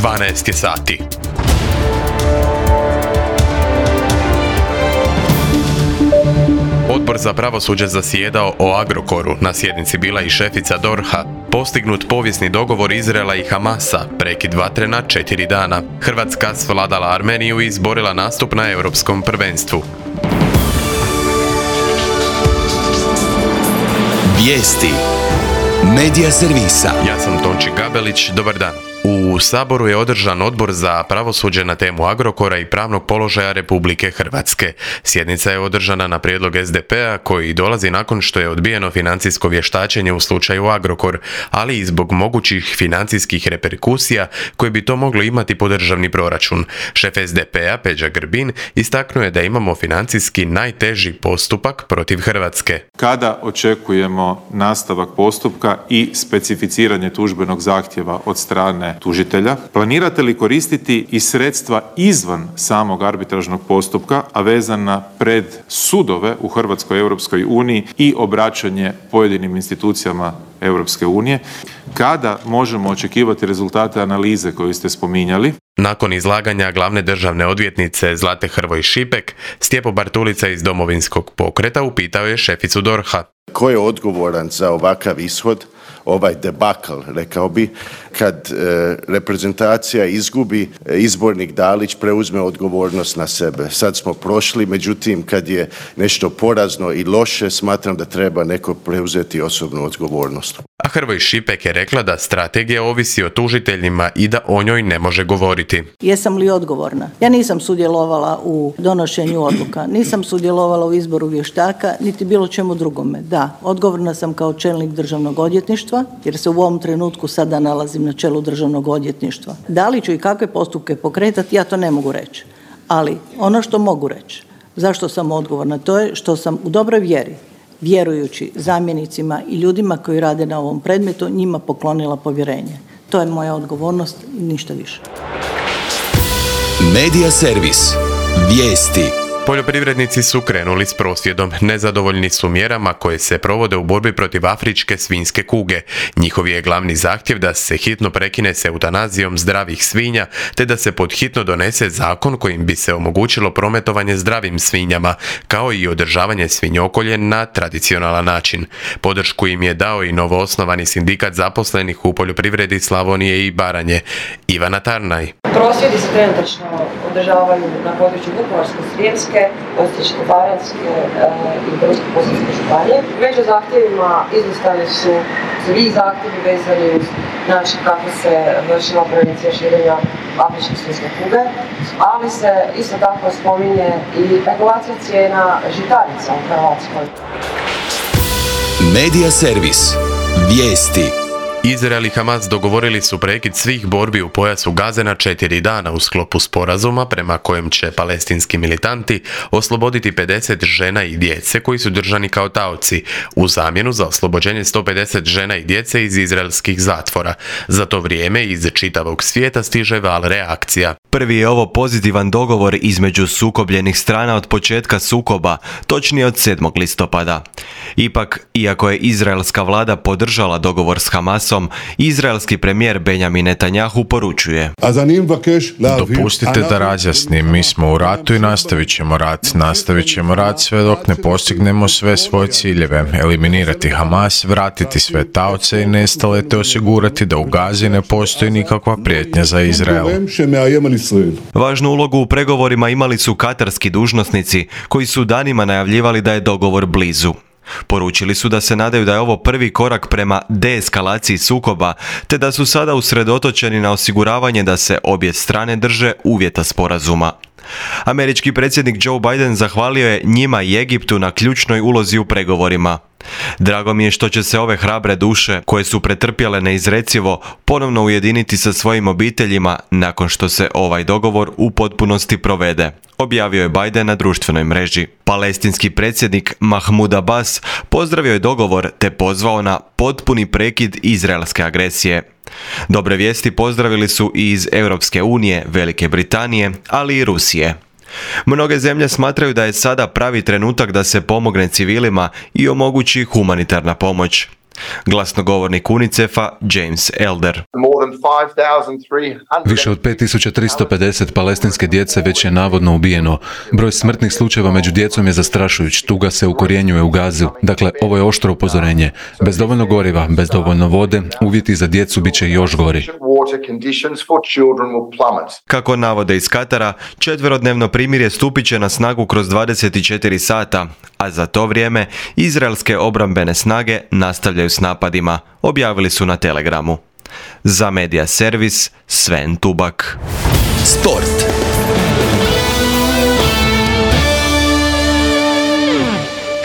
12 je sati. Odbor za pravosuđe zasjedao o Agrokoru. Na sjednici bila i šefica DORH-a. Postignut povijesni dogovor Izraela i Hamasa, prekid vatre na 4 dana. Hrvatska svladala Armeniju i izborila nastup na Europskom prvenstvu. Vijesti Medija servisa. Ja sam Tonči Gabelić, dobar dan. U Saboru je održan odbor za pravosuđe na temu Agrokora i pravnog položaja Republike Hrvatske. Sjednica je održana na prijedlog SDP-a koji dolazi nakon što je odbijeno financijsko vještačenje u slučaju Agrokor, ali i zbog mogućih financijskih reperkusija koje bi to moglo imati po državni proračun. Šef SDP-a Peđa Grbin istaknuo je da imamo financijski najteži postupak protiv Hrvatske. Kada očekujemo nastavak postupka i specificiranje tužbenog zahtjeva od strane tužitelja, planirate li koristiti i sredstva izvan samog arbitražnog postupka, a vezana pred sudove u Hrvatskoj Europskoj uniji i obraćanje pojedinim institucijama Europske unije? Kada možemo očekivati rezultate analize koju ste spominjali? Nakon izlaganja glavne državne odvjetnice Zlate Hrvoj Šipek, Stjepo Bartulica iz Domovinskog pokreta upitao je šeficu DORH-a. Ko je odgovoran za ovakav ishod, ovaj debakl, rekao bi, kad reprezentacija izgubi, izbornik Dalić preuzme odgovornost na sebe. Sad smo prošli, međutim, kad je nešto porazno i loše, smatram da treba neko preuzeti osobnu odgovornost. A Hrvoj Šipek je rekla da strategija ovisi o tužiteljima i da o njoj ne može govoriti. Jesam li odgovorna? Ja nisam sudjelovala u donošenju odluka, nisam sudjelovala u izboru vještaka, niti bilo čemu drugome. Da, odgovorna sam kao čelnik državnog odvjetništva, jer se u ovom trenutku sada nalazim na čelu državnog odvjetništva. Da li ću i kakve postupke pokretati, ja to ne mogu reći. Ali ono što mogu reći, zašto sam odgovorna, to je što sam u dobroj vjeri, vjerujući zamjenicima i ljudima koji rade na ovom predmetu, njima poklonila povjerenje. To je moja odgovornost i ništa više. Medija servis. Vijesti. Poljoprivrednici su krenuli s prosvjedom. Nezadovoljni su mjerama koje se provode u borbi protiv afričke svinjske kuge. Njihov je glavni zahtjev da se hitno prekine s eutanazijom zdravih svinja, te da se pod hitno donese zakon kojim bi se omogućilo prometovanje zdravim svinjama, kao i održavanje svinjokolje na tradicionalan način. Podršku im je dao i novoosnovani sindikat zaposlenih u poljoprivredi Slavonije i Baranje. Ivana Tarnaj. Prosvjedi se trenutačno održavaju na području Vukovarsko-srijemske, Osječko-baranjske i Brodsko-posavske županije. Među zahtjevima izostali su svi zahtjevi vezani uz način kako se vršila prevencija širenja afričke svinjske kuge, ali se isto tako spominje i regulacija cijena žitarica u Hrvatskoj. Medija servis. Vijesti. Izrael i Hamas dogovorili su prekid svih borbi u pojasu Gaze na 4 dana u sklopu sporazuma prema kojem će palestinski militanti osloboditi 50 žena i djece koji su držani kao taoci u zamjenu za oslobođenje 150 žena i djece iz izraelskih zatvora. Za to vrijeme iz čitavog svijeta stiže val reakcija. Prvi je ovo pozitivan dogovor između sukobljenih strana od početka sukoba, točnije od 7. listopada. Ipak, iako je izraelska vlada podržala dogovor s Hamasom, izraelski premijer Benjamin Netanjahu poručuje: Dopustite da razjasnim, mi smo u ratu i nastavit ćemo rat sve dok ne postignemo sve svoje ciljeve, eliminirati Hamas, vratiti sve taoce i nestale te osigurati da u Gazi ne postoji nikakva prijetnja za Izrael. Važnu ulogu u pregovorima imali su katarski dužnosnici koji su danima najavljivali da je dogovor blizu. Poručili su da se nadaju da je ovo prvi korak prema deeskalaciji sukoba, te da su sada usredotočeni na osiguravanje da se obje strane drže uvjeta sporazuma. Američki predsjednik Joe Biden zahvalio je njima i Egiptu na ključnoj ulozi u pregovorima. Drago mi je što će se ove hrabre duše, koje su pretrpjele neizrecivo, ponovno ujediniti sa svojim obiteljima nakon što se ovaj dogovor u potpunosti provede, objavio je Biden na društvenoj mreži. Palestinski predsjednik Mahmud Abbas pozdravio je dogovor te pozvao na potpuni prekid izraelske agresije. Dobre vijesti pozdravili su i iz Europske unije, Velike Britanije, ali i Rusije. Mnoge zemlje smatraju da je sada pravi trenutak da se pomogne civilima i omogući humanitarna pomoć. Glasnogovornik UNICEF-a James Elder. Više od 5350 palestinske djece već je navodno ubijeno. Broj smrtnih slučajeva među djecom je zastrašujuć. Tuga se ukorjenjuje u Gazu. Dakle, ovo je oštro upozorenje. Bez dovoljno goriva, bez dovoljno vode, uvjeti za djecu bit će još gori. Kako navode iz Katara, 4-dnevno primirje stupit će na snagu kroz 24 sata, a za to vrijeme izraelske obrambene snage nastavljaju s napadima, objavili su na Telegramu. Za Media Servis, Sven Tubak. Sport.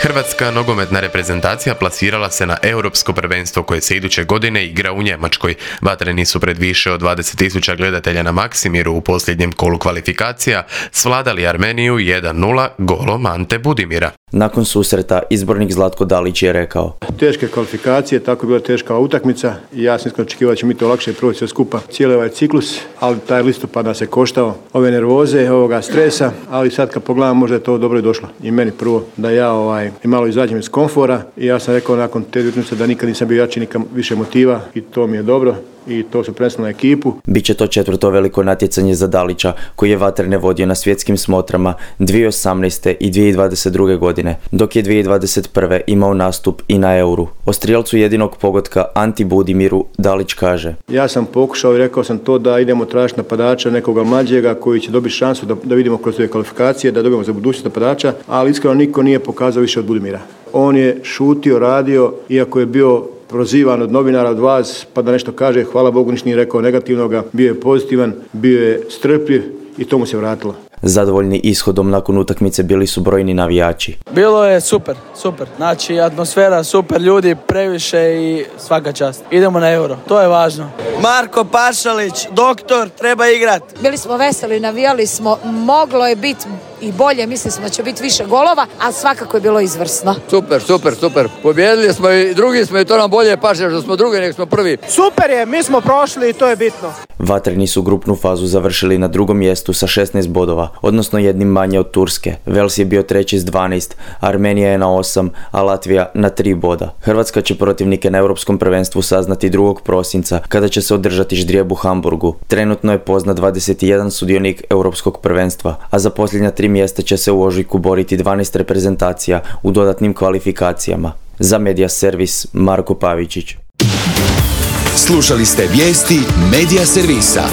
Hrvatska nogometna reprezentacija plasirala se na europsko prvenstvo koje se iduće godine igra u Njemačkoj. Vatreni su pred više od 20.000 gledatelja na Maksimiru u posljednjem kolu kvalifikacija svladali Armeniju 1-0 golom Ante Budimira. Nakon susreta izbornik Zlatko Dalić je rekao: Teške kvalifikacije, tako je bila teška utakmica i ja sam iskreno očekivao da će mi to lakše proći sve skupa cijeli ovaj ciklus, ali taj listopad nas je koštao ove nervoze, ovoga stresa, ali sad kad pogledam možda je to dobro i došlo. I meni prvo da ja malo izađem iz komfora i ja sam rekao nakon te utakmice da nikad nisam bio jači, nikad više motiva i to mi je dobro. I to su presli na ekipu. Biće to 4. veliko natjecanje za Dalića, koji je Vatrene vodio na svjetskim smotrama 2018. i 2022. godine, dok je 2021. imao nastup i na Euru. O strijelcu jedinog pogotka Anti Budimiru Dalić kaže: Ja sam pokušao i rekao sam to da idemo tražiti napadača nekoga mlađega koji će dobiti šansu da vidimo kroz ove kvalifikacije, da dobijemo za budućnost napadača, ali iskreno niko nije pokazao više od Budimira. On je šutio, radio, iako je bio prozivan od novinara, od vas, pa da nešto kaže, hvala Bogu ništa nije rekao negativnoga, bio je pozitivan, bio je strpljiv i to mu se vratilo. Zadovoljni ishodom nakon utakmice bili su brojni navijači. Bilo je super. Znači atmosfera super, ljudi previše i svaka čast. Idemo na Euro, to je važno. Marko Pašalić, doktor, treba igrat. Bili smo veseli, navijali smo, moglo je biti i bolje, mislili smo da će biti više golova, ali svakako je bilo izvrsno. Super. Pobjedili smo i drugi smo i to nam bolje paše što smo drugi nego smo prvi. Super je, mi smo prošli i to je bitno. Vatreni su grupnu fazu završili na 2. mjestu sa 16 bodova, odnosno jednim manje od Turske. Vels je bio 3. s 12, Armenija je na 8, a Latvija na 3 boda. Hrvatska će protivnike na Europskom prvenstvu saznati 2. prosinca, kada će se održati ždrijeb u Hamburgu. Trenutno je poznat 21 sudionik Europskog prvenstva, a za posljednja 3 mjesta će se u ožujku boriti 12 reprezentacija u dodatnim kvalifikacijama. Za Media Servis, Marko Pavičić. Slušali ste vijesti Media Servisa.